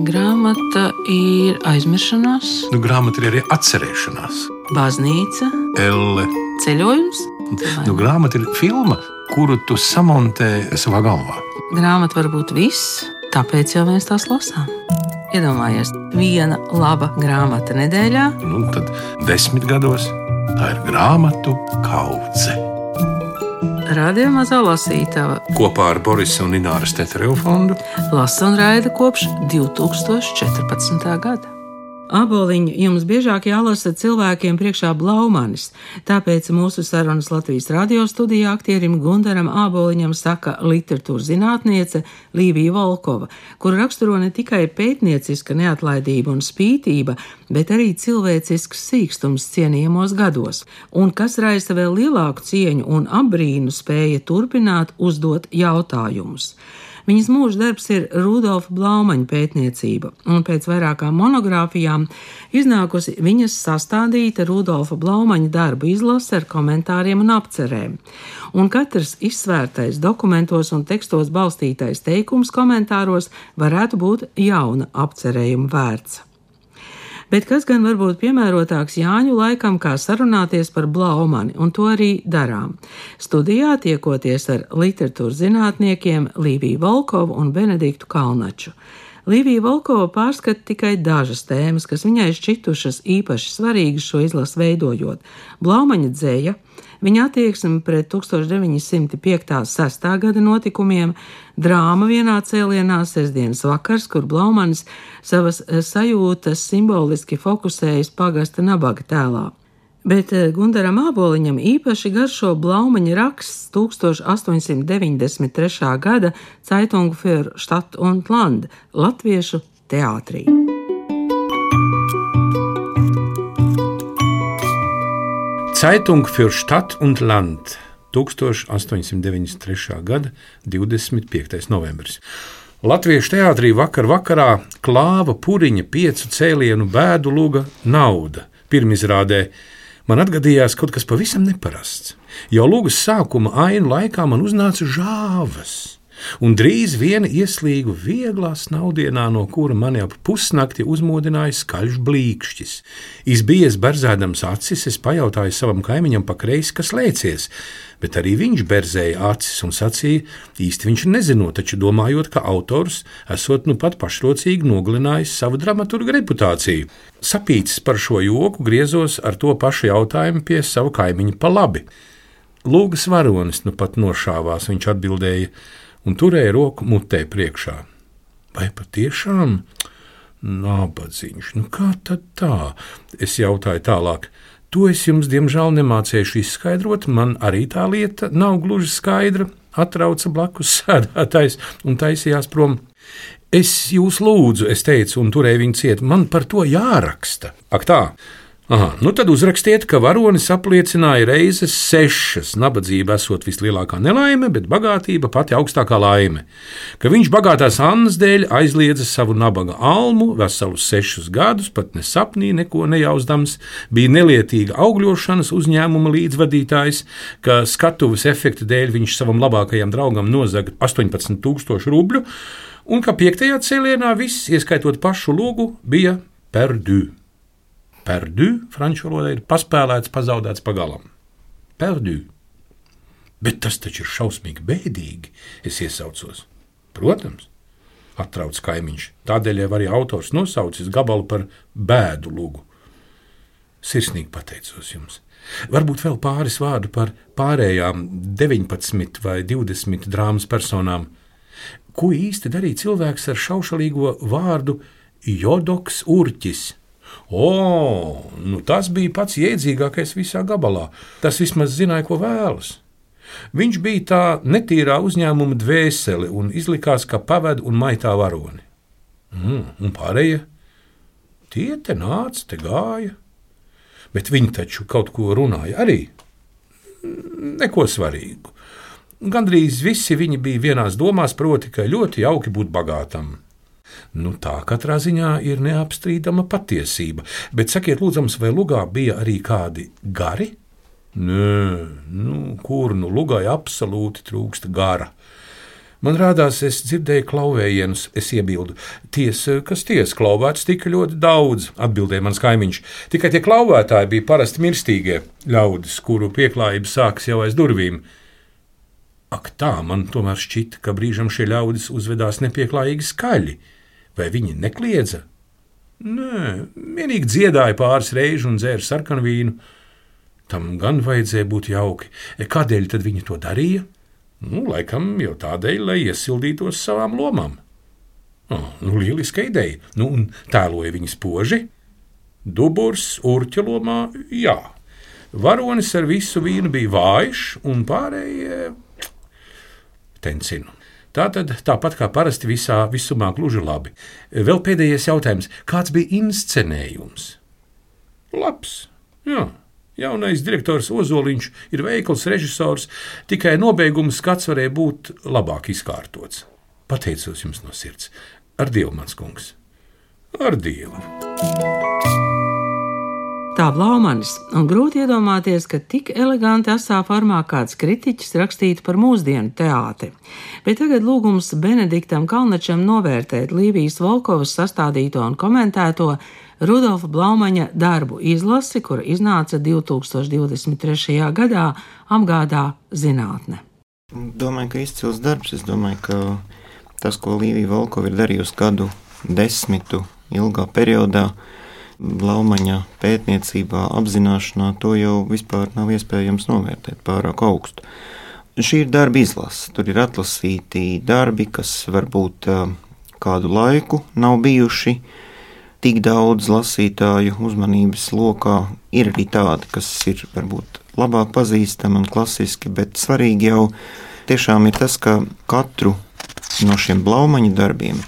Grāmata ir aizmiršanās, Grāmata ir arī atcerēšanās. baznīca, Elle. ceļojums. Grāmata ir filma, kuru tu samontē savā galvā. Grāmata var būt viss, tāpēc jau mēs tās lasām. Iedomājies, viena laba grāmata nedēļā. Tad 10 gados tā ir grāmatu kaudze. Radio Mazā lasītava Kopā ar Borisa un Ināras Tetereva fondu lasa un raida kopš 2014. gada. Āboliņu jums biežāk jālasa cilvēkiem priekšā Blaumanis, tāpēc mūsu sarunas Latvijas radio studijā aktierim Gundaram Āboliņam saka literatūras zinātniece Līvija Volkova, kur raksturo ne tikai pētnieciska neatlaidība un spītība, bet arī cilvēcisks sīkstums cienījamos gados, un kas raisa vēl lielāku cieņu un apbrīnu spēja turpināt uzdot jautājumus. Viņas mūža darbs ir Rudolfa Blaumaņa pētniecība, un pēc vairākām monogrāfijām iznākusi viņas sastādīta Rudolfa Blaumaņa darbu izlase ar komentāriem un apcerēm. Un katrs izsvērtais dokumentos un tekstos balstītais teikums komentāros varētu būt jauna apcerējuma vērts. Bet kas gan var būt piemērotāks Jāņu laikam, kā sarunāties par Blaumani, un to arī darām. Studijā tiekoties ar literatūras zinātniekiem Līviju Volkovu un Benediktu Kalnaču. Līvija Volkova pārskata tikai dažas tēmas, kas viņai šķitušas īpaši svarīgas šo izlasu veidojot. Blaumaņa dzeja, viņa attieksme pret 1905.–6. gada notikumiem, drāma vienā cēlienā sestdienas vakars, kur Blaumanis savas sajūtas simboliski fokusējas pagasta nabaga tēlā. Bet Gundaram Āboliņam īpaši garšo Blaumaņa raksts 1893. gada Zeitung für Stadt und Land latviešu teātrī. Zeitung für Stadt und Land 1893. gada 25. novembris. Latviešu teātrī vakarā Klāva Puriņa 5 cēlienu bēdu luga Nauda. Pirmizrādē man atgadījās kaut kas pavisam neparasts. Jau lugas sākuma ainu laikā man uznāca žāvas, un drīz viena ieslīgu vieglā snaudienā, no kura mani ap pusnakti uzmodināja skaļš blīkšķis. Izbijies berzēdams acis, es pajautāju savam kaimiņam pa kreisi, kas lēcies, bet arī viņš berzēja acis un sacīja, īsti viņš nezinot, taču domājot, ka autors esot nu pat pašrocīgi nogalinājis savu dramaturga reputāciju. Sapīcis par šo joku, griezos ar to pašu jautājumu pie sava kaimiņa pa labi. Lūgas varonis nu pat nošāvās, viņš atbildēja, un turēja roku mutē priekšā. Vai patiešām? Nabadzīņš, kā tad tā? Es jautāju tālāk. To es jums, diemžēl, nemācēšu izskaidrot, man arī tā lieta nav gluži skaidra, atrauca blakus sēdētājs un taisījās prom. Es jūs lūdzu, es teicu, un turēju viņu ciet, man par to jāraksta. Ak tā? Aha, tad uzrakstiet, ka varonis apliecināja reizes 6, nabadzība esot vislielākā nelaime, bet bagātība pati augstākā laime. Ka viņš bagātās Annas dēļ aizliedza savu nabaga almu veselus 6 gadus, pat ne sapnī neko nejauzdams, bija nelietīga augļošanas uzņēmuma līdzvadītājs, ka skatuves efekta dēļ viņš savam labākajam draugam nozaga 18,000 rubļu, un ka 5. cēlienā viss, ieskaitot pašu lūgu, bija perdu. Perdu, franču valodā, ir paspēlēts, pazaudēts pagalam. Perdu. Bet tas taču ir šausmīgi bēdīgi, es iesaucos. Protams, atrauc kaimiņš. Tādēļ jau arī autors nosaucis gabalu par bēdu lugu. Sirsnīgi pateicos jums. Varbūt vēl pāris vārdu par pārējām 19 vai 20 drāmas personām. Ko īsti darīja cilvēks ar šaušalīgo vārdu Jodoks Urķis? Tas bija pats jēdzīgākais visā gabalā. Tas vismaz zināja, ko vēlas. Viņš bija tā netīrā uzņēmuma dvēsele un izlikās, ka paved un maitā varoni. Un pārējie? Tie te nāca, te gāja. Bet viņi taču kaut ko runāja arī. Neko svarīgu. Gandrīz visi viņi bija vienās domās, proti, ka ļoti jauki būt bagātam. Tā katrā ziņā ir neapstrīdama patiesība, bet sakiet lūdzams, vai lugā bija arī kādi gari? Nē, kur lugai absolūti trūkst gara. Man rādās, es dzirdēju klauvējienus, es iebildu. Kas klauvēts tika ļoti daudz, atbildēja mans kaimiņš. Tikai tie klauvētāji bija parasti mirstīgie ļaudis, kuru pieklājība sākas jau aiz durvīm. Ak tā, man tomēr šķita, ka brīžam šie ļaudis uzvedās nepieklājīgi skaļi. Vai viņi nekliedza? Nē, vienīgi dziedāja pāris reižu un dzēra sarkanvīnu. Tam gan vajadzēja būt jauki. Kādēļ tad viņi to darīja? Laikam jau tādēļ, lai iesildītos savām lomām. Lieliska ideja. Un tēloja viņi spoži? Duburs, urķa lomā, jā. Varonis ar visu vīnu bija vājš un pārējie tencinu. Tāpat kā parasti visumā gluži labi. Vēl pēdējais jautājums. Kāds bija inscenējums? Labs, jā. Jaunais direktors Ozoliņš ir veikls režisors, tikai nobeiguma skats varēja būt labāk izkārtots. Pateicos jums no sirds. Ar Dievu, mans kungs. Ar Dievu. Tā Blaumanis, un grūti iedomāties, ka tik eleganti asā formā kāds kritiķis rakstītu par mūsdienu teātri. Bet tagad lūgums Benediktam Kalnačam novērtēt Līvijas Volkovas sastādīto un komentēto Rudolfa Blaumaņa darbu izlasi, kura iznāca 2023. gadā, apgādā zinātne. Domāju, ka izcils darbs. Es domāju, ka tas, ko Līvija Volkova ir darījusi gadu desmitu ilgā periodā, Blaumaņa pētniecībā, apzināšanā, to jau vispār nav iespējams novērtēt pārāk augstu. Šī ir darba izlase. Tur ir atlasīti darbi, kas varbūt kādu laiku nav bijuši tik daudz lasītāju uzmanības lokā. Ir arī tādi, kas ir varbūt labāk pazīstami un klasiski, bet svarīgi jau tiešām ir tas, ka katru no šiem Blaumaņa darbiem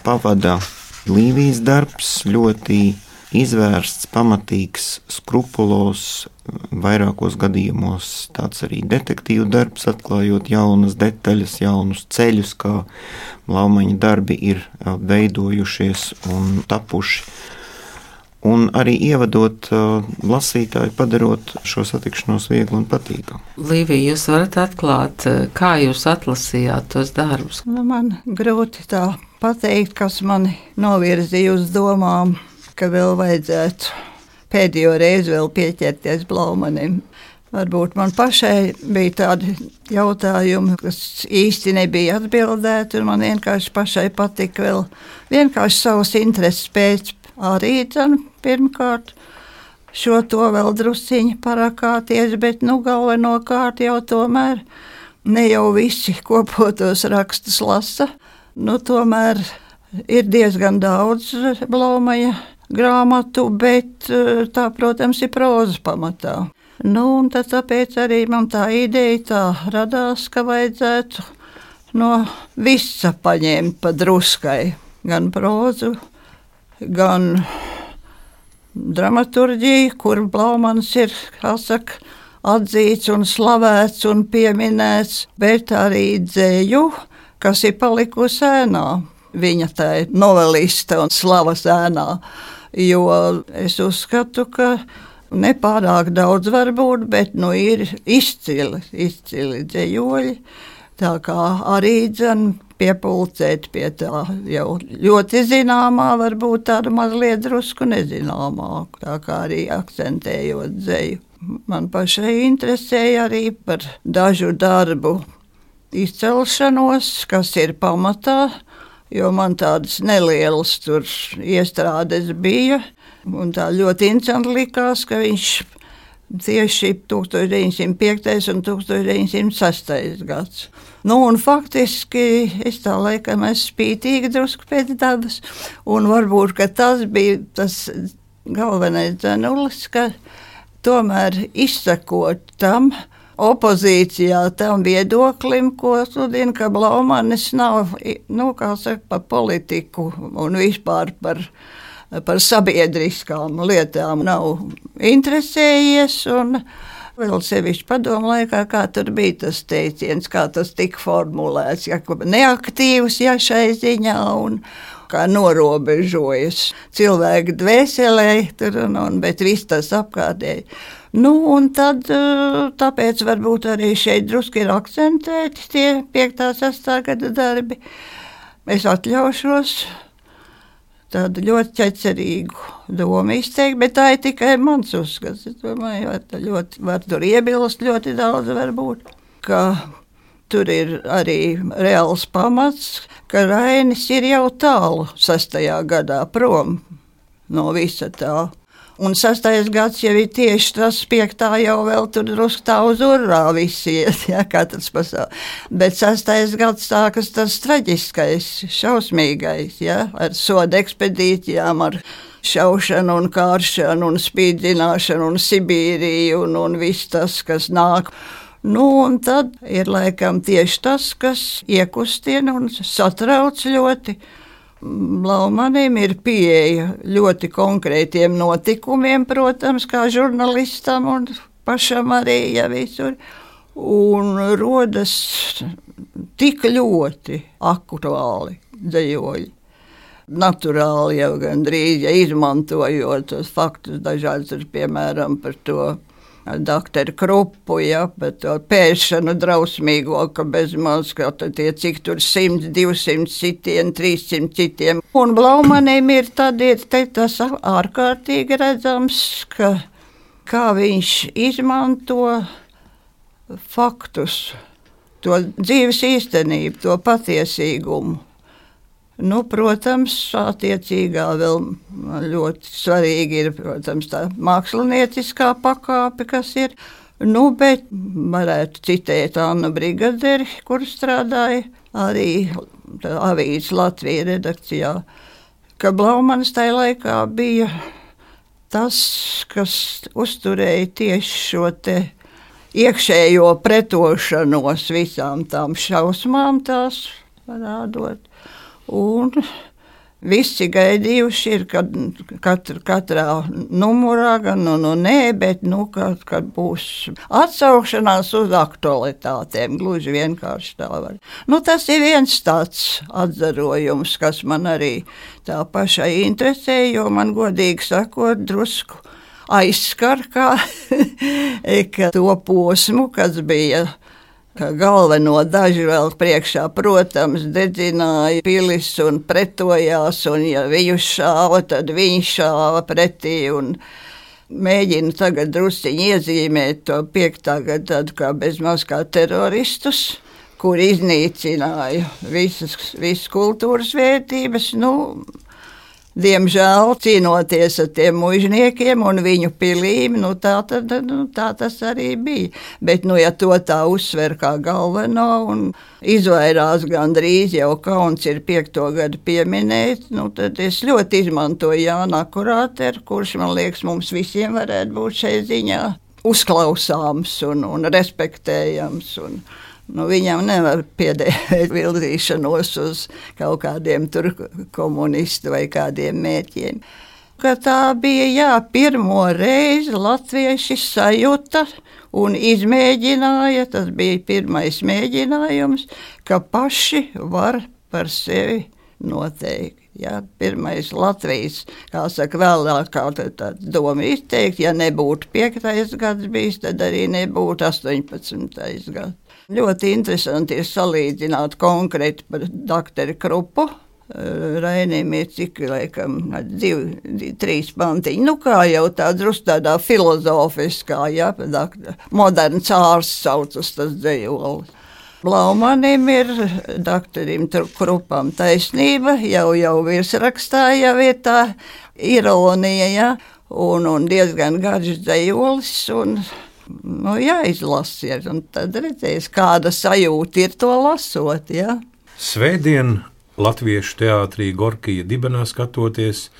pavada Līvijas darbs, ļoti izvērsts, pamatīgs, skrupulos, vairākos gadījumos tāds arī detektīvu darbs, atklājot jaunas detaļas, jaunus ceļus, kā Blaumaņa darbi ir veidojušies un tapuši. Un arī ievadot lasītāju, padarot šo satikšanos viegli un patīkamu. Līvija, jūs varat atklāt, kā jūs atlasījāt tos darbus? Man grūti tā pateikt, kas mani novirzīja uz domām, ka vēl vajadzētu pēdējo reizi vēl pieķerties Blaumanim. Varbūt man pašai bija tādi jautājumi, kas īsti nebija atbildēti, un man vienkārši pašai patika vēl vienkārši savas intereses pēc arī pirmkārt šo to vēl drusciņi parakāties, bet galvenokārt jau tomēr ne jau visi kopotos rakstus lasa. Tomēr ir diezgan daudz Blaumaņa grāmatu, bet tā, protams, ir prózas pamatā. Un tad tāpēc arī man tā ideja tā radās, ka vajadzētu no visa paņemt pa druskai. Gan prózu, gan dramaturģiju, kur Blaumans ir, kā saka, atzīts un slavēts un pieminēts, bet arī dzēju, kas ir palikusi ēnā. Viņa tā ir noveliste un slavas ēnā, jo es uzskatu, ka nepārāk daudz var būt, bet ir izcili dzējoļi, tā kā arī piepulcēt pie tā jau ļoti zināmā, varbūt tāda mazliet drusku nezināmāk, tā kā arī akcentējot dzēju. Man pašai interesēja arī par dažu darbu izcelšanos, kas ir pamatā, jo man tādas nelielas tur iestrādes bija, un tā ļoti interesanti likās, ka viņš tieši 1905. un 1906. gads. Un faktiski es tā laikam esmu spītīga drusku pēc dabas, un varbūt, ka tas bija tas galvenais dzenulis, ka tomēr izsakot tam, opozīcijā tam viedoklim, ko sludina, ka Blaumanis nav, kā saka, par politiku un vispār par sabiedriskām lietām nav interesējies, un vēl sevišķi padomu laikā, kā tur bija tas teiciens, kā tas tika formulēts, neaktīvs šai ziņā un kā norobežojas cilvēku dvēselē, bet viss tas apkārtēji. Nu, un tad, tāpēc varbūt arī šeit drusku ir akcentēti tie 5. 6. gada darbi. Es atļaušos tādu ļoti ķecerīgu domu izteikt, bet tā ir tikai mans uzskats. Es domāju, var tur iebilst ļoti daudz varbūt, ka tur ir arī reāls pamats, ka Rainis ir jau tālu 6. gadā prom no visa tā. Un 6. gads jau ir tieši tas, 5. jau vēl tur drusku tā uz urrā visi iet, ja, katrs pasauli. Bet 6. gads sākas tas traģiskais, šausmīgais, ja, ar soda ekspedīcijām, ar šaušanu un kāršanu un spīdzināšanu un Sibīriju un viss tas, kas nāk. Nu, un tad ir laikam tieši tas, kas iekustina un satrauc ļoti. Blaumanim ir pieeja ļoti konkrētiem notikumiem, protams, kā žurnālistam un pašam arī, ja visur. Un rodas tik ļoti aktuāli dzejoļi. Naturāli jau gandrīz, ja izmantojot tos faktus dažādus, piemēram, par to doktoru Krupu, ja, par to pēšanu drausmīgo, ka bezmaz, ka tie cik tur 100, 200 citiem, 300 citiem. Un Blaumanim ir tas ārkārtīgi redzams, kā viņš izmanto faktus, to dzīves īstenību, to patiesīgumu. Nu, protams, attiecīgā vēl ļoti svarīgi ir, protams, tā mākslinieciskā pakāpe, kas ir. Nu, bet varētu citēt Annu Brigaderi, kur strādāja arī avīzes Latvija redakcijā, ka Blaumanis tajā laikā bija tas, kas uzturēja tieši šo te iekšējo pretošanos visām tām šausmām tās parādot. Un visi gaidījuši ir, kad katrā numurā, gan nē, bet kad būs atsaukšanās uz aktualitātēm, gluži vienkārši tā var. Nu, tas ir viens tāds atzarojums, kas man arī tā pašai interesē, jo man godīgi sakot drusku aizskar, ka to posmu, kas bija ka galveno daži vēl priekšā, protams, dedzināja pilis un pretojās, un ja viņu šāva, tad viņi šāva pretī, un mēģina tagad drusciņi iezīmēt to 5. gadu tādu kā bezmaz kā teroristus, kur iznīcināja visas kultūras vērtības, nu, diemžēl cīnoties ar tiem mužniekiem un viņu pilīm, tā tas arī bija. Bet, ja to tā uzsver kā galveno un izvairās gandrīz jau kauns ir 5. gadu pieminēt, tad es ļoti izmantoju Jānu Akurāteru, kurš, man liekas, mums visiem varētu būt šai ziņā uzklausāms un respektējams viņam nevar piedēvēt virzīšanos uz kaut kādiem tur komunistu vai kādiem mērķiem. Ka tā bija, pirmo reizi latvieši sajuta un izmēģināja, tas bija pirmais mēģinājums, ka paši var par sevi noteikt. Pirmais Latvijas, kā saka, vēlāk kā tā doma izteikt, ja nebūtu 5. gads bijis, tad arī nebūtu 18. gads. Ļoti interesanti ir salīdzināt konkrēti par doktoru Krupu. Rainim ir cik, laikam, 2-3 pantiņi. Kā jau tā drusku tādā filozofiskā, moderns ārsts saucas tas dzejolis. Blaumanim ir doktorim Krupam taisnība, jau virsrakstā jau ir tā ironija, un diezgan garš dzejolis, un jāizlasies, un tad redzēs, kāda sajūta ir to lasot, Svētdien Latviešu teātrī Gorkija dibenā skatoties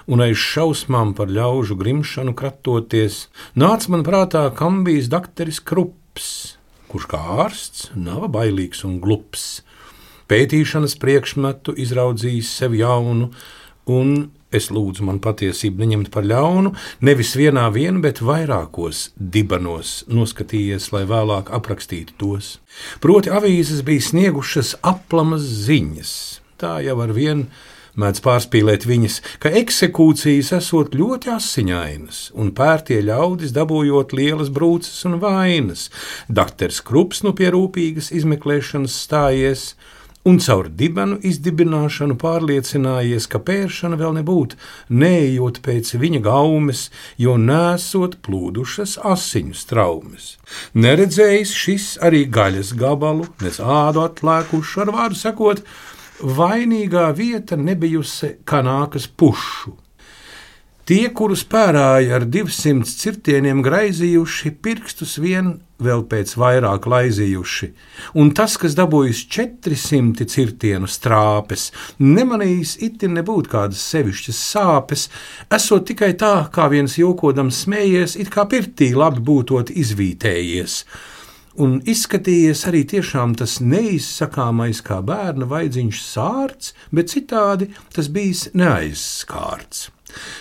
un aiz šausmām par ļaužu grimšanu kratoties, nāca man prātā Kambijas doktoris Krups, kurš kā ārsts nav bailīgs un glups, pētīšanas priekšmetu izraudzījis sev jaunu, un es lūdzu man patiesību neņemt par ļaunu, nevis vienā bet vairākos dibenos noskatījies, lai vēlāk aprakstītu tos. Proti avīzes bija sniegušas aplamas ziņas, tā jau ar vien Mēdz pārspīlēt viņas, ka eksekūcijas esot ļoti asiņainas, un pērtie ļaudis dabūjot lielas brūces un vainas. Dakters Krups nu pie rūpīgas izmeklēšanas stājies, un caur dibenu izdibināšanu pārliecinājies, ka pēršana vēl nebūtu, neejot pēc viņa gaumes, jo nesot plūdušas asiņu straumes. Neredzējis šis arī gaļas gabalu, nec ādu atlēkušu, ar vārdu sakot, vainīgā vieta nebijusi kanākas pušu. Tie, kurus pērāja ar 200 cirtieniem graizījuši, pirkstus vien vēl pēc vairāk laizījuši, un tas, kas dabūjis 400 cirtienu strāpes, nemanījis itin nebūt kādas sevišķas sāpes, esot tikai tā, kā viens jokodams smējies, it kā pirtī labi būtot izvītējies. Un izskatījies arī tiešām tas neizsakāmais kā bērna vaidziņš sārts, bet citādi tas bijis neaizskārts.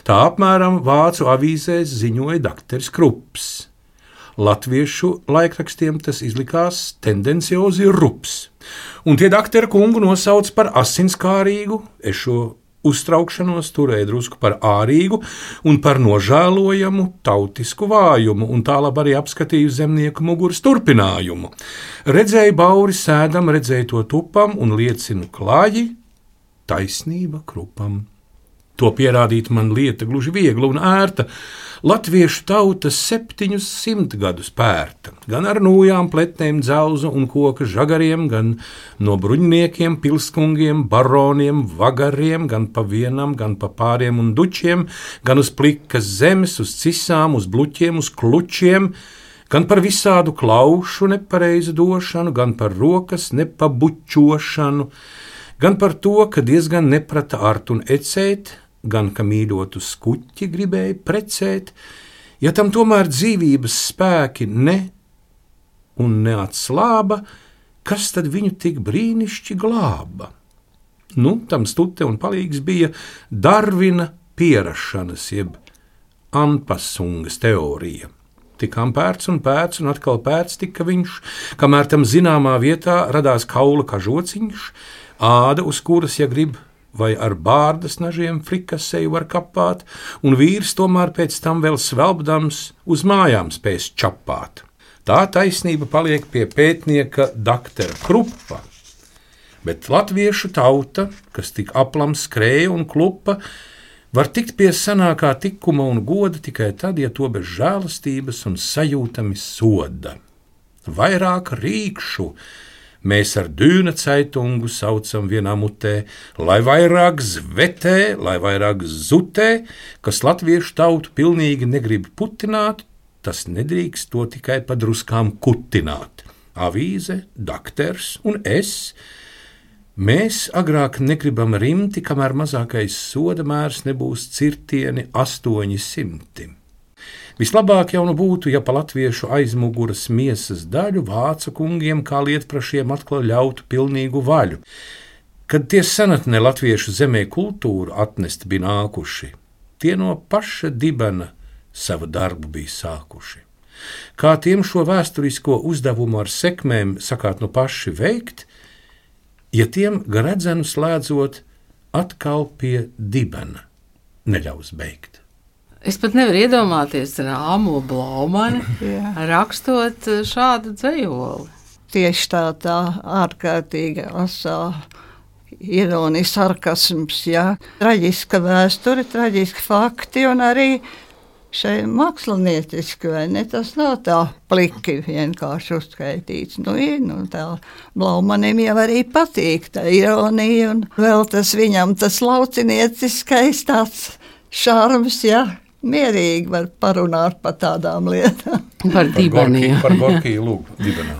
Tā apmēram vācu avīzēs ziņoja dakters Krups. Latviešu laikrakstiem tas izlikās tendenciozi rups. Un tie daktera kungu nosauc par asinskārīgu, es šo uztraukšanos turēja drusku par ārīgu un par nožēlojamu tautisku vājumu, un tālāk arī apskatīju zemnieku muguras turpinājumu. Redzēju bauri sēdam, redzēju to tupam un liecinu klāji, taisnība Krupam. To pierādīt man lieta gluži viegla un ērta. Latviešu tauta 700 gadus pērta, gan ar nūjām, pletnēm, dzelzu un koka žagariem, gan no bruņniekiem, pilskungiem, baroniem, vagariem, gan pa vienam, gan pa pāriem un dučiem, gan uz plikas zemes, uz cisām, uz bluķiem, uz klučiem, gan par visādu klaušu nepareizu došanu, gan par rokas nepabučošanu, gan par to, ka diezgan neprata art un ecēt, gan ka mīļotu skuķi gribēja precēt, ja tam tomēr dzīvības spēki ne un neatslāba, kas tad viņu tik brīnišķi glāba? Nu, tam stute un palīgs bija Darvina pierašanas, jeb Anpasungas teorija. Tikām pērts un atkal pērts tika viņš, kamēr tam zināmā vietā radās kaula kažociņš, āda, uz kuras, ja grib, vai ar bārdas nažiem frikaseju var kapāt, un vīrs tomēr pēc tam vēl svelbdams uz mājām spēs čapāt. Tā taisnība paliek pie pētnieka daktera Krupa, bet latviešu tauta, kas tik aplam skrēja un klupa, var tikt pie sanākā tikuma un goda tikai tad, ja to bez žēlastības un sajūtami soda. Vairāk rīkšu mēs ar dūna ceitungu saucam vienā mutē, lai vairāk zvetē, lai vairāk zutē, kas latviešu tautu pilnīgi negrib putināt, tas nedrīkst to tikai pa druskām kutināt. Avīze, dakters un es, mēs agrāk negribam rimti, kamēr mazākais soda mērs nebūs cirtieni 800. Vislabāk jau nu būtu, ja pa latviešu aizmuguras miesas daļu vācu kungiem kā lietprašiem atkal ļautu pilnīgu vaļu. Kad tie senatnē latviešu zemē kultūru atnest bija nākuši, tie no paša dibena savu darbu bija sākuši. Kā tiem šo vēsturisko uzdevumu ar sekmēm sakāt nu paši veikt, ja tiem gredzenu slēdzot atkal pie dibena neļaus beigt. Es pat nevaru iedomāties Rāmo Blaumani rakstot šādu dzejoli. Tieši tā ārkārtīga asā ironija, sarkasms, traģiska vēsture, traģiski fakti un arī šai mākslinieciski, vai ne? Tas nav tā pliki vienkārši uzskaitīts. Tā Blaumanim jau arī patīk tā ironija un vēl tas viņam tas laucinieciskais tāds šarms, mierīgi var parunāt par tādām lietām. Par dibeniem. Par Gorkiju lūgu dibenā.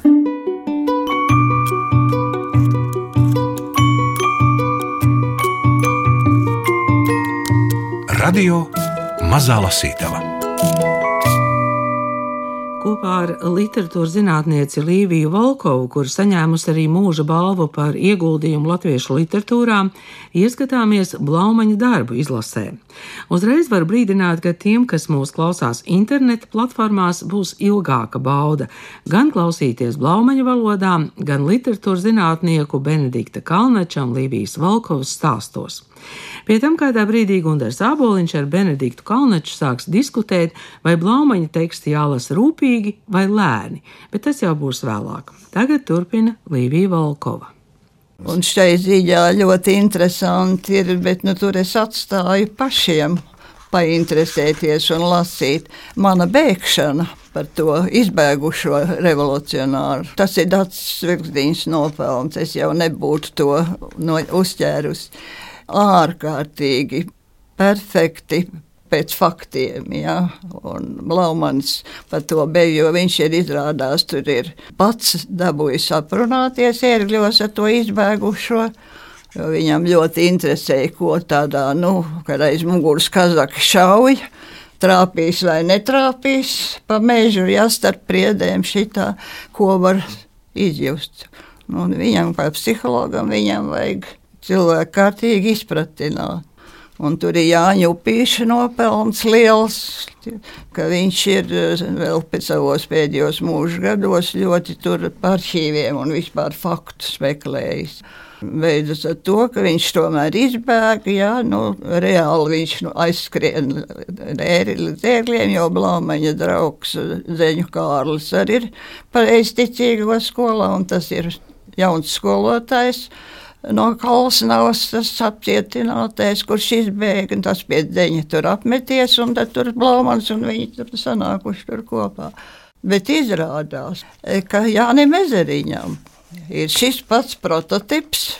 Radio Mazā Lasītava. Kopā ar literatūras zinātnieci Līviju Volkovu, kur saņēmusi arī mūža balvu par ieguldījumu latviešu literatūrā, ieskatāmies Blaumaņa darbu izlasē. Uzreiz var brīdināt, ka tiem, kas mūs klausās interneta platformās, būs ilgāka bauda gan klausīties Blaumaņa valodā, gan literatūras zinātnieku Benedikta Kalnača un Līvijas Volkovas stāstos. Pie tam kādā brīdī Gundars Āboliņš ar Benediktu Kalnaču sāks diskutēt, vai Blaumaņa teksti jālasa rūpīgi vai lēni, bet tas jau būs vēlāk. Tagad turpina Līvija Volkova. Un šai ziņā ļoti interesanti ir, bet tur es atstāju pašiem painteresēties un lasīt. Mana bēgšana par to izbēgušo revolucionāru. Tas ir Dacis Vilksdiņas nopelns, es jau nebūtu to uzķērusi. Ārkārtīgi perfekti pēc faktiem, ja? Un Blaumanis par to beju, jo viņš ir izrādās, tur ir pats dabūjis aprunāties ērgļos ar to izbēgušo, jo viņam ļoti interesēja, ko tādā, kad aiz muguras kazaki šauja, trāpīs vai netrāpīs pa mežu, ja starp priedēm šitā, ko var izjust. Un viņam, kā psihologam, viņam vajag cilvēku kārtīgi izpratināt. Un tur ir Jāņa Upīša nopelns liels, ka viņš ir vēl pēc savos pēdējos mūža gados ļoti tur par arhīviem un vispār faktu spekulējis. Beidzas ar to, ka viņš tomēr izbēga, reāli viņš aizskrien līdz ērgļiem, jo Blaumaņa draugs Zeņu Kārlis arī ir pareizticīgo skolā, un tas ir jauns skolotājs. No Kalsnavas tas apcietinātais, kurš izbēga, un tas pie Deņa tur apmeties, un tad tur Blaumans un viņi tur sanākuši tur kopā. Bet izrādās, ka Jānim Ezeriņam ir šis pats prototips,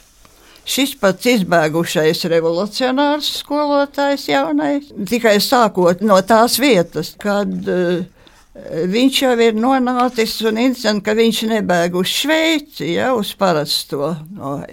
šis pats izbēgušais revolucionārs skolotājs jaunais, tikai sākot no tās vietas, kad viņš jau ir nonācis un interesanti, ka viņš nebēg uz Šveici, uz parasto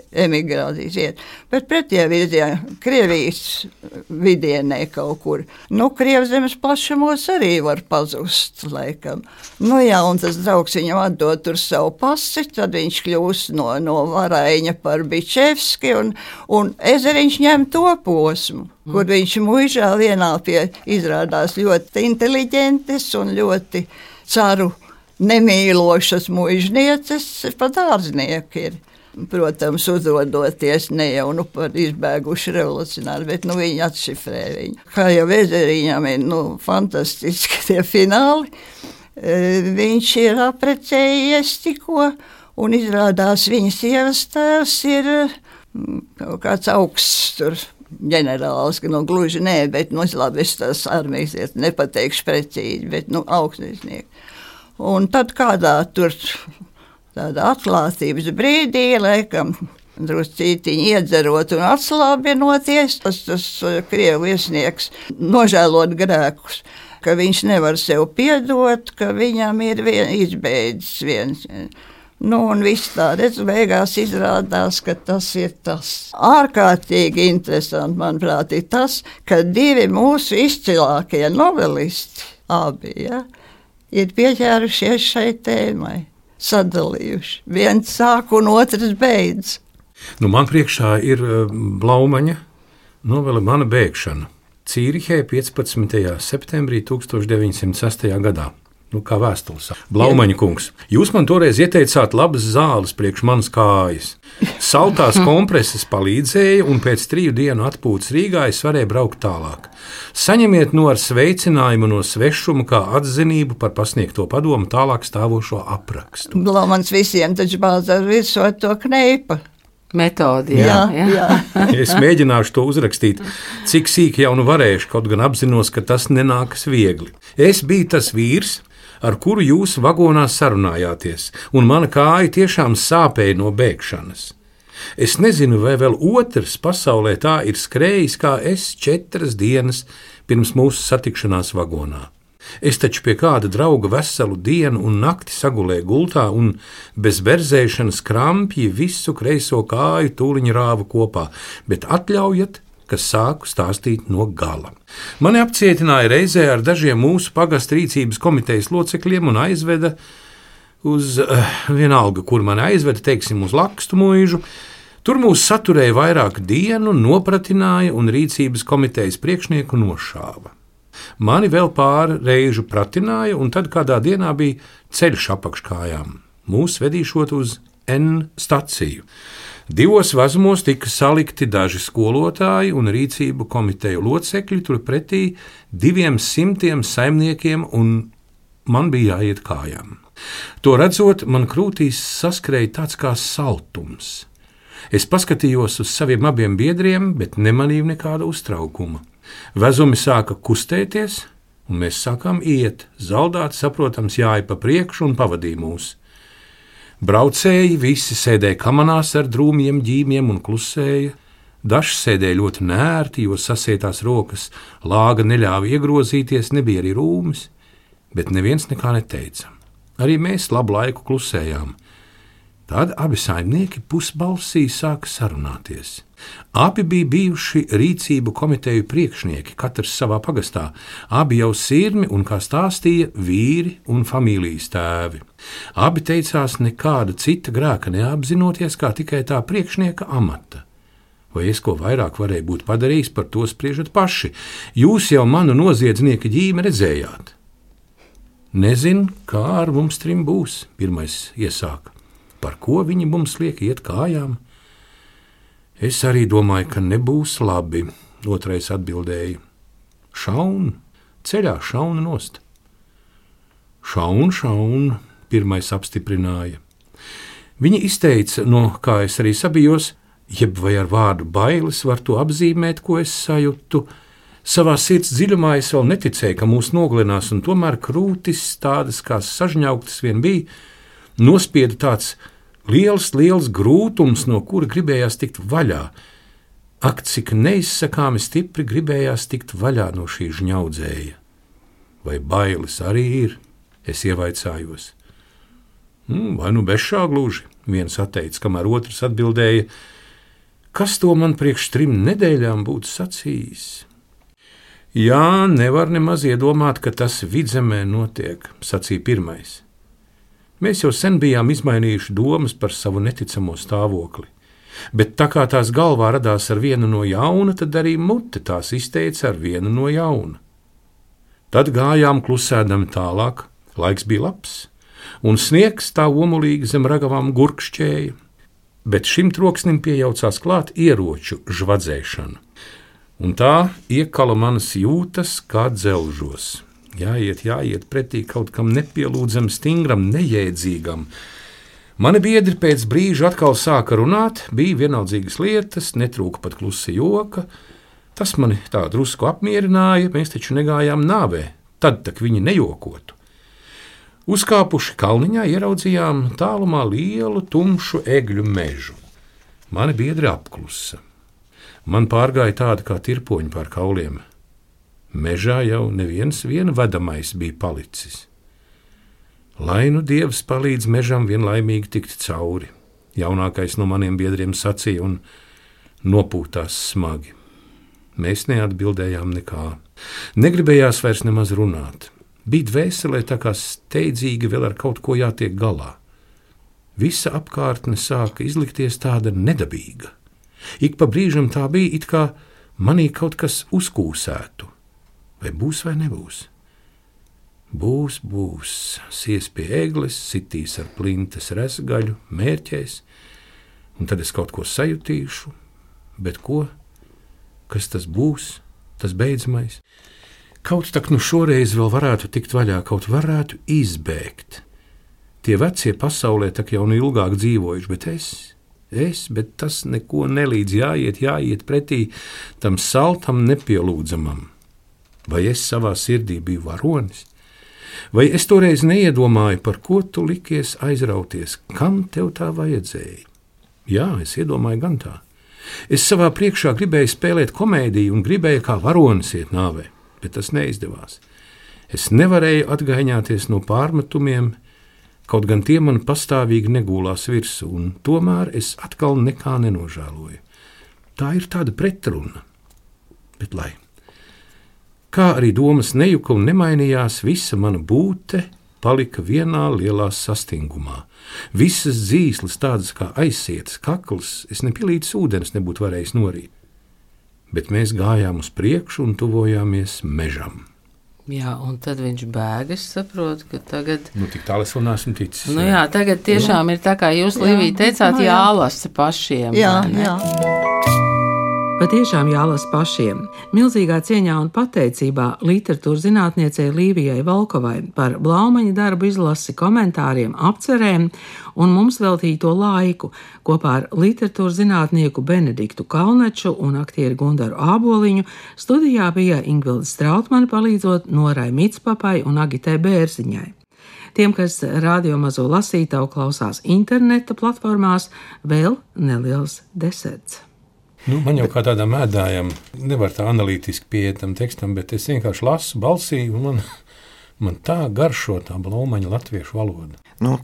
emigrācijas vietu, bet pretie virzienā, Krievijas vidienē kaut kur. Krievzemes plašumos arī var pazust, laikam. Un tas draugs viņam atdod tur savu pasi, tad viņš kļūst no Varaiņa par Bičevski, un Ezeriņš ņem to posmu, kur viņš muižā vienā pie izrādās ļoti inteliģentes un ļoti caru nemīlošas muižnieces, pat ārznieki ir. Protams, uzrodoties ne jau par izbēguši revolucionāri, bet viņi atšifrē viņu. Kā jau Ezeriņam ir fantastiski tie fināli, viņš ir aprecējies tikko, un izrādās viņa sievas tēvs ir kaut kāds augsts tur ģenerālis, ka gluži nē, bet labi, es tās armijas nepateikšu precīzi, bet augstnieki. Un tad kādā tur tādā atklātības brīdī, laikam, druscītiņi iedzerot un atslābinoties, tas Krievu viesnieks nožēlot grēkus, ka viņš nevar sev piedot, ka viņam ir izbeidzis viens. Un viss tā, beigās izrādās, ka tas ir tas. Ārkārtīgi interesanti, manuprāt, ir tas, ka divi mūsu izcilākie novelisti, abi, ir pieķērušies šai tēmai, sadalījuši. Viens sāk un otrs beidz. Man priekšā ir Blaumaņa novele Mana bēgšana. Cīrihē 15. septembrī 1906. gadā. Kā vēstules. Blaumaņa kungs, jūs man toreiz ieteicāt labas zāles priekš manas kājas. Saltās kompreses palīdzēja, un pēc 3 dienu atpūtas Rīgā es varēju braukt tālāk. Saņemiet ar sveicinājumu no svešuma kā atzinību par pasniegto padomu tālāk stāvošo aprakstu. Blaumans visiem taču bāzā virsot to kneipa metodi. Jā. Es mēģināšu to uzrakstīt, cik sīki jau varēšu, kaut gan apzinos, ka tas nenākas viegli. Es biju tas vīrs, ar kuru jūs vagonā sarunājāties, un mana kāja tiešām sāpēja no bēgšanas. Es nezinu, vai vēl otrs pasaulē tā ir skrējis kā es 4 dienas pirms mūsu satikšanās vagonā. Es taču pie kāda drauga veselu dienu un nakti sagulēju gultā un bez berzēšanas krampji visu kreiso kāju tūliņu rāvu kopā, bet atļaujat, ka sāku stāstīt no gala. Mani apcietināja reizē ar dažiem mūsu pagasta rīcības komitejas locekļiem un aizveda uz vienalga, kur mani aizveda, teiksim, uz Lakstu muižu. Tur mūs saturēja vairāku dienu, nopratināja un rīcības komitejas priekšnieku nošāva. Mani vēl pāri reižu pratināja, un tad kādā dienā bija ceļš apakškājām. Mūs vedīšot uz N staciju. 2 vazumos tika salikti daži skolotāji un rīcību komiteju locekļi, turpretī 200 saimniekiem, un man bija jāiet kājām. To redzot, man krūtīs saskrēja tāds kā saltums. Es paskatījos uz saviem abiem biedriem, bet nemanīju nekāda uztraukuma. Vezumi sāka kustēties, un mēs sākām iet. Zaldāti, saprotams, jāja pa priekšu un pavadīja mūs. Braucēji visi sēdēja kamanās ar drūmiem ģīmiem un klusēja. Daži sēdēja ļoti nērti, jo sasietās rokas lāga neļāva iegrozīties, nebija arī rūmis, bet neviens nekā neteica. Arī mēs labu laiku klusējām. Tad abi saimnieki pusbalsī sāka sarunāties. Abi bija bijuši rīcību komiteju priekšnieki, katrs savā pagastā. Abi jau sirmi un, kā stāstīja, vīri un familijas tēvi. Abi teicās nekāda cita grēka neapzinoties, kā tikai tā priekšnieka amata. Vai es ko vairāk varēju būt padarījis, par to spriežat paši. Jūs jau manu noziedznieka ģīmi redzējāt. Nezinu, kā ar mums trim būs, pirmais iesāka. Par ko viņi mums liek iet kājām? Es arī domāju, ka nebūs labi, otrais atbildēja. Šaun, ceļā šauna nost. Šaun, pirmais apstiprināja. Viņi izteica, no kā es arī sabijos, jeb vai ar vārdu bailes var to apzīmēt, ko es sajūtu. Savā sirds dziļumā es vēl neticēju, ka mūs nogalinās, un tomēr krūtis tādas kā sažņauktas vien bija, nospieda tāds liels grūtums, no kura gribējās tikt vaļā. Ak, cik neizsakāmi stipri gribējās tikt vaļā no šī žņaudzēja. Vai bailes arī ir? Es ievaicājos. Vai nu bešā gluži, viens atteica, kamēr otrs atbildēja, kas to man priekš 3 nedēļām būtu sacījis. Jā, nevar nemaz iedomāt, ka tas Vidzemē notiek, sacīja pirmais. Mēs jau sen bijām izmainījuši domas par savu neticamo stāvokli, bet tā kā tās galvā radās ar vienu no jauna, tad arī mute tās izteica ar vienu no jauna. Tad gājām klusēdami tālāk, laiks bija labs, un sniegs tā omulīgi zem ragavām gurkšķēja, bet šim troksnim piejaucās klāt ieroču žvadzēšana, un tā iekala manas jūtas kā dzelžos. Jāiet pretī kaut kam nepielūdzam, stingram, nejēdzīgam. Mani biedri pēc brīža atkal sāka runāt, bija vienaldzīgas lietas, netrūka pat klusa joka. Tas mani tā drusku apmierināja, mēs taču negājām nāvē, tad tak viņi nejokotu. Uzkāpuši kalniņā ieraudzījām tālumā lielu tumšu egļu mežu. Mani biedri apklusa. Man pārgāja tāda kā tirpoņi pār kauliem. Mežā jau neviens vedamais bija palicis. Lai nu Dievs palīdz mežam vienlaimīgi tikt cauri, jaunākais no maniem biedriem sacīja un nopūtās smagi. Mēs neatbildējām nekā. Negribējās vairs nemaz runāt. Bija dvēselē tā kā steidzīgi vēl ar kaut ko jātiek galā. Visa apkārtne sāka izlikties tāda nedabīga. Ik pa brīžam tā bija, it kā manī kaut kas uzkūsētu. Vai būs vai nebūs? Būs, sies pie egles, sitīs ar plintes resgaļu, mērķēs, un tad es kaut ko sajutīšu, bet ko? Kas tas būs, tas beidzamais? Kaut tak nu šoreiz vēl varētu tikt vaļā, kaut varētu izbēgt. Tie vecie pasaulē tak jau nu ilgāk dzīvojuši, bet tas neko nelīdz, jāiet pretī tam saltam nepielūdzamam. Vai es savā sirdī biju varonis? Vai es toreiz neiedomāju, par ko tu likies aizrauties, kam tev tā vajadzēja? Jā, es iedomāju gan tā. Es savā priekšā gribēju spēlēt komēdiju un gribēju kā varonis iet nāvē, bet tas neizdevās. Es nevarēju atgaiņāties no pārmetumiem, kaut gan tie man pastāvīgi negūlās virsū, un tomēr es atkal nekā nenožēloju. Tā ir tāda pretruna, bet lai. Kā arī domas nejuka un nemainījās, visa mana būte palika vienā lielā sastingumā. Visas dzīsles, tādas kā aizsietas, kakls, es nepilītas ūdens nebūtu varējis norīt. Bet mēs gājām uz priekšu un tuvojāmies mežam. Jā, un tad viņš bēg, es saprotu, ka tagad... Tik tālu es vēl neesmu ticis. Jā, tagad tiešām ir tā, kā jūs, Līvija, teicāt, jālasa pašiem. Jā. Patiešām jālasa pašiem. Milzīgā cieņā un pateicībā literatūras zinātniecei Līvijai Volkovai par Blaumaņa darbu izlasi, komentāriem, apcerēm un mums veltīto laiku kopā ar literatūras zinātnieku Benediktu Kalneču un aktieri Gundaru Āboliņu studijā bija Ingvilda Strautmane palīdzot Norai Micpapai un Agitei Bērziņai. Tiem, kas radio mazo lasītavu klausās interneta platformās, vēl neliels deserts. Man jau kā tādam ēdājam nevar tā analītiski pieiet tam tekstam, bet es vienkārši lasu balsī, un man tā garšo tā Blaumaņa latviešu valoda.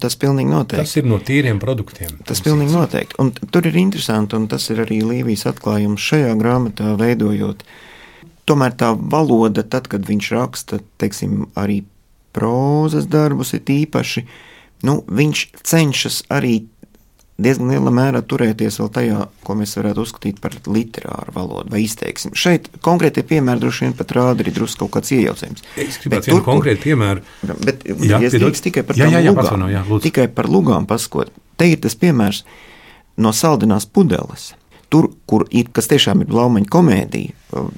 Tas pilnīgi noteikti. Tas ir no tīriem produktiem. Tas pilnīgi noteikti. Un tur ir interesanti, un tas ir arī Līvijas atklājums šajā grāmatā veidojot. Tomēr tā valoda, tad, kad viņš raksta, teiksim, arī prózas darbus ir īpaši, viņš cenšas arī diezgan lielā mērā turēties vēl tajā, ko mēs varētu uzskatīt par literāru valodu vai izteiksmi. Šeit konkrētie piemēri droši vien pat rāda arī drusku kaut kāds iejaucējums. Es gribētu vienu konkrētu piemēru. Bet es drīkst tikai par tām lugām. Tikai par lugām paskot. Te ir tas piemērs no Saldinās pudeles. Tur, kur ir, kas tiešām ir Blaumaņa komēdija,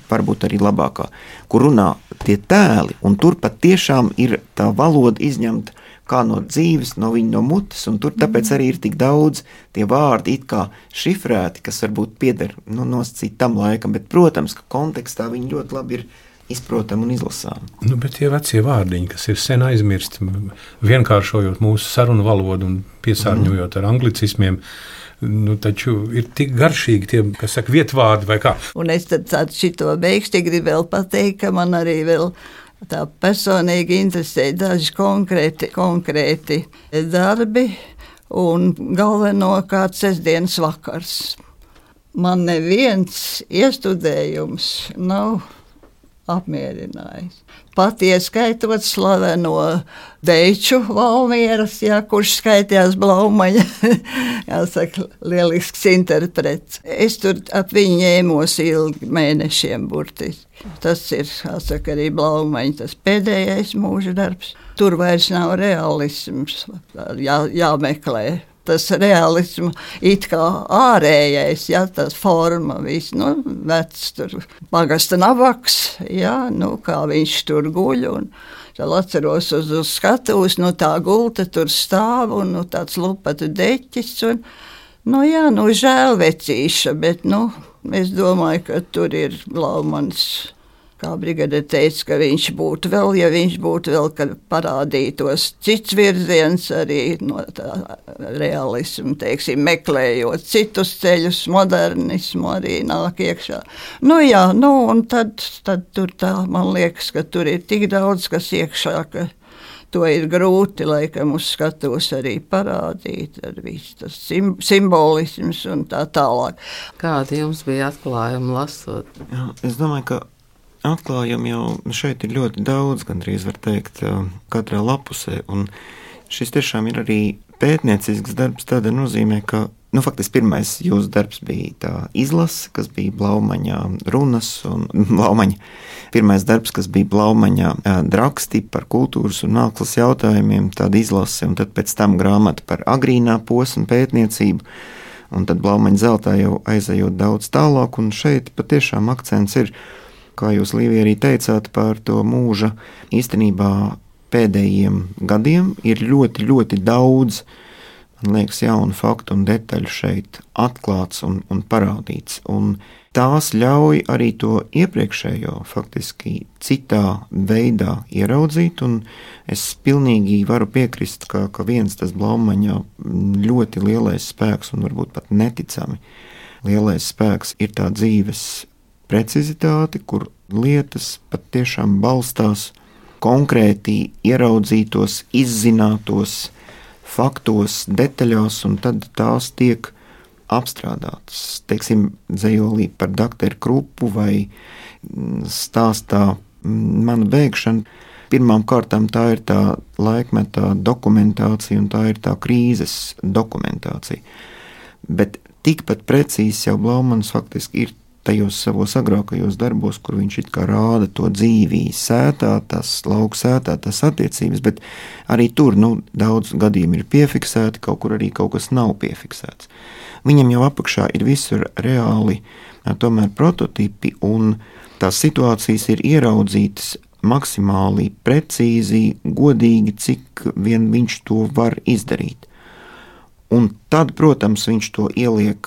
varbūt arī labākā, kur runā tie tēli, un tur pat tiešām ir tā valoda izņemta kā no dzīves, no viņa no mutes, un tur tāpēc arī ir tik daudz tie vārdi it kā šifrēti, kas varbūt pieder nosacīt tam laikam, bet, protams, ka kontekstā viņi ļoti labi ir izprotami un izlasāmi. Bet tie vecie vārdiņi, kas ir sen aizmirsti, vienkāršojot mūsu sarunu valodu un piesārņojot ar anglicismiem, taču ir tik garšīgi tie, kas saka vietvārdi vai kā. Un es tad šito beigšķi gribu vēl pateikt, ka man arī vēl tā personīgi interesē daži konkrēti darbi un galvenokārt sestdienas vakars. Man neviens iestudējums nav apmierinājis. Pat ieskaitot slaveno Deiču Valmieras, kurš skaitījās Blaumaņa, jāsaka, lielisks interprets. Es tur ap viņu ņēmos ilgi mēnešiem burtiski. Tas ir, jāsaka, arī Blaumaņa tas pēdējais mūža darbs. Tur vairs nav realisms, jāmeklē. Tas realisms it kā ārējais, tas forma, viss, vecs tur pagasta nabaks, kā viņš tur guļ, un tad atceros uz skatuves, tā gulta tur stāv, un tāds lupatu deķis, un, žēl vecīša, bet, es domāju, ka tur ir Blaumans, kā brigade teica, ka viņš būtu vēl, ja viņš būtu vēl, kad parādītos cits virziens arī no tā realismu, teiksim, meklējot citus ceļus, modernismu arī nāk iekšā. Un tad tur tā, man liekas, ka tur ir tik daudz, kas iekšā, ka to ir grūti, laikam, uz skatuves arī parādīt, ar visu tas simbolisms un tā tālāk. Kādi jums bija atklājumi lasot? Es domāju, ka atklājumi jau šeit ir ļoti daudz, gandrīz var teikt, katrā lapusē, un šis tiešām ir arī pētniecisks darbs tādā nozīmē, ka, faktiski pirmais jūsu darbs bija tā izlase, kas bija Blaumaņa runas, un Blaumaņa pirmais darbs, kas bija Blaumaņa draksti par kultūras un mākslas jautājumiem, tāda izlase, un tad pēc tam grāmata par agrīnā posma pētniecību, un tad Blaumaņa zeltā jau aizejot daudz tālāk, un šeit patiešām akcents ir, kā jūs, Līvija, arī teicāt par to mūža, īstenībā pēdējiem gadiem ir ļoti, ļoti daudz, man liekas, jaunu faktu un detaļu šeit atklāts un parādīts. Un tās ļauj arī to iepriekšējo faktiski citā veidā ieraudzīt, un es pilnīgi varu piekrist, ka viens tas Blaumaņa ļoti lielais spēks un varbūt pat neticami lielais spēks ir tā dzīves precizitāte, kur lietas pat tiešām balstās konkrēti ieraudzītos, izzinātos faktos, detaļās, un tad tās tiek apstrādātas. Teiksim, dzejolī par doktoru Krupu vai stāstā Mana bēgšana. Pirmām kārtām tā ir tā laikmetā dokumentācija un tā ir tā krīzes dokumentācija. Bet tikpat precīzi jau Blaumans faktiski ir tajos savos agrākajos darbos, kur viņš it kā rāda to dzīvī sētā, tas lauku sētā, tas attiecības, bet arī tur daudz gadījumi ir piefiksēti, kaut kur arī kaut kas nav piefiksēts. Viņam jau apakšā ir visur reāli tomēr prototipi, un tās situācijas ir ieraudzītas maksimāli precīzi, godīgi, cik vien viņš to var izdarīt. Un tad, protams, viņš to ieliek,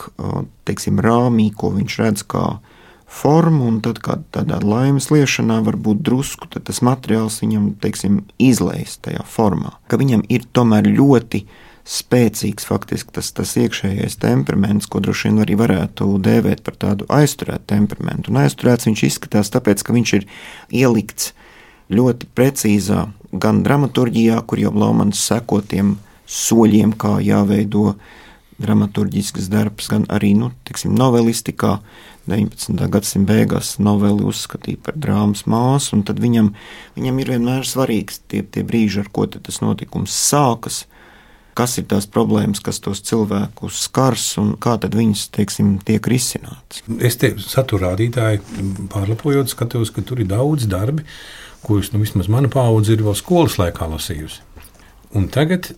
teiksim, rāmī, ko viņš redz kā formu, un tad kā tādā laimes liešanā varbūt drusku, tad tas materiāls viņam, teiksim, izlejas tajā formā. Ka viņam ir tomēr ļoti spēcīgs faktiski tas iekšējais temperaments, ko droši vien arī varētu dēvēt par tādu aizturētu temperamentu. Un aizturēts viņš izskatās tāpēc, ka viņš ir ielikts ļoti precīzā gan dramaturģijā, kur jau Blaumans seko tiem soļiem, kā jāveido dramaturģisks darbs, gan arī, teiksim, novelistikā. 19. gadsimta beigās noveli uzskatīja par drāmas māsu, un tad viņam ir vienmēr svarīgs tie brīži, ar ko tas notikums sākas, kas ir tās problēmas, kas tos cilvēkus skars, un kā tad viņas, teiksim, tiek risinātas. Es te saturādītāji pārlapojot skatos, ka tur ir daudz darbi, kurus, vismaz mana paudze ir vēl skolas laikā lasījusi. Un tagad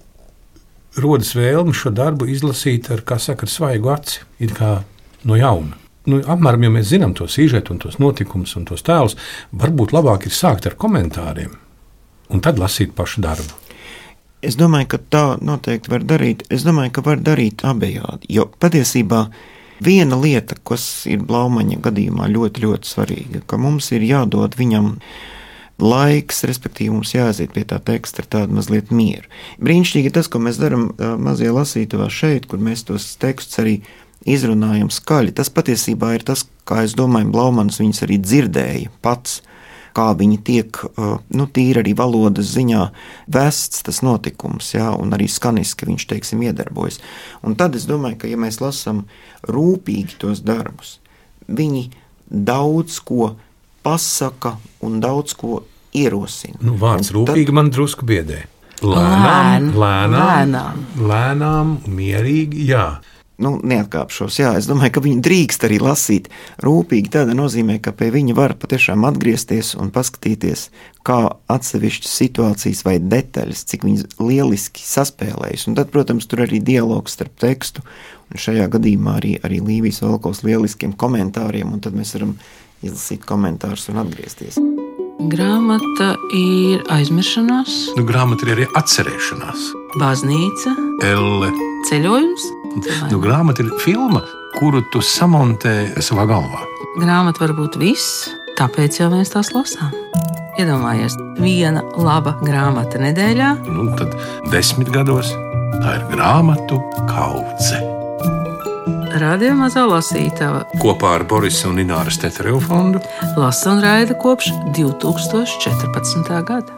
rodas vēlme šo darbu izlasīt ar svaigu aci, it kā no jauna. Apmēram, ja mēs zinām to sižetu un tos notikumus un tos tēlus, varbūt labāk ir sākt ar komentāriem un tad lasīt pašu darbu. Es domāju, ka tā noteikti var darīt. Es domāju, ka var darīt abejādi, jo patiesībā viena lieta, kas ir Blaumaņa gadījumā ļoti, ļoti svarīga, ka mums ir jādod viņam laiks, respektīvi mums jāaiziet pie tā teksta ar tādu mazliet mieru. Brīnišķīgi tas, ko mēs darām mazajā lasītavā šeit, kur mēs tos tekstus arī izrunājam skaļi. Tas patiesībā ir tas, kā es domāju, Blaumans viņus arī dzirdēja pats, kā viņi tiek, tīri arī valodas ziņā vests tas notikums, un arī skaniski viņš, teiksim, iedarbojas. Un tad es domāju, ka ja mēs lasām rūpīgi tos darbus, viņi daudz ko pasaka un daudz ko ierosina. Vārds rūpīgi man drusku biedē. Lēnām, mierīgi, jā. Neatkāpšos, jā. Es domāju, ka viņi drīkst arī lasīt rūpīgi. Tādā nozīmē, ka pie viņa var patiešām atgriezties un paskatīties, kā atsevišķas situācijas vai detaļas, cik viņas lieliski saspēlējas. Un tad, protams, tur arī dialogs starp tekstu, un šajā gadījumā arī Līvijas Volkovs lieliskiem komentāriem, un tad mēs varam izlasīt komentārus un atgriezties. Grāmata ir aizmiršanās. Grāmata ir arī atcerēšanās. Baznīca. Elle. Ceļojums. Grāmata ir filma, kuru tu samontē savā galvā. Grāmata var būt viss, tāpēc jau mēs tās lasām. Iedomājies, viena laba grāmata nedēļā. Tad 10 gados tā ir grāmatu kaudze. Radio Mazā lasītava kopā ar Borisa un Ināras Teterevu fondu lasa un raida kopš 2014. gada.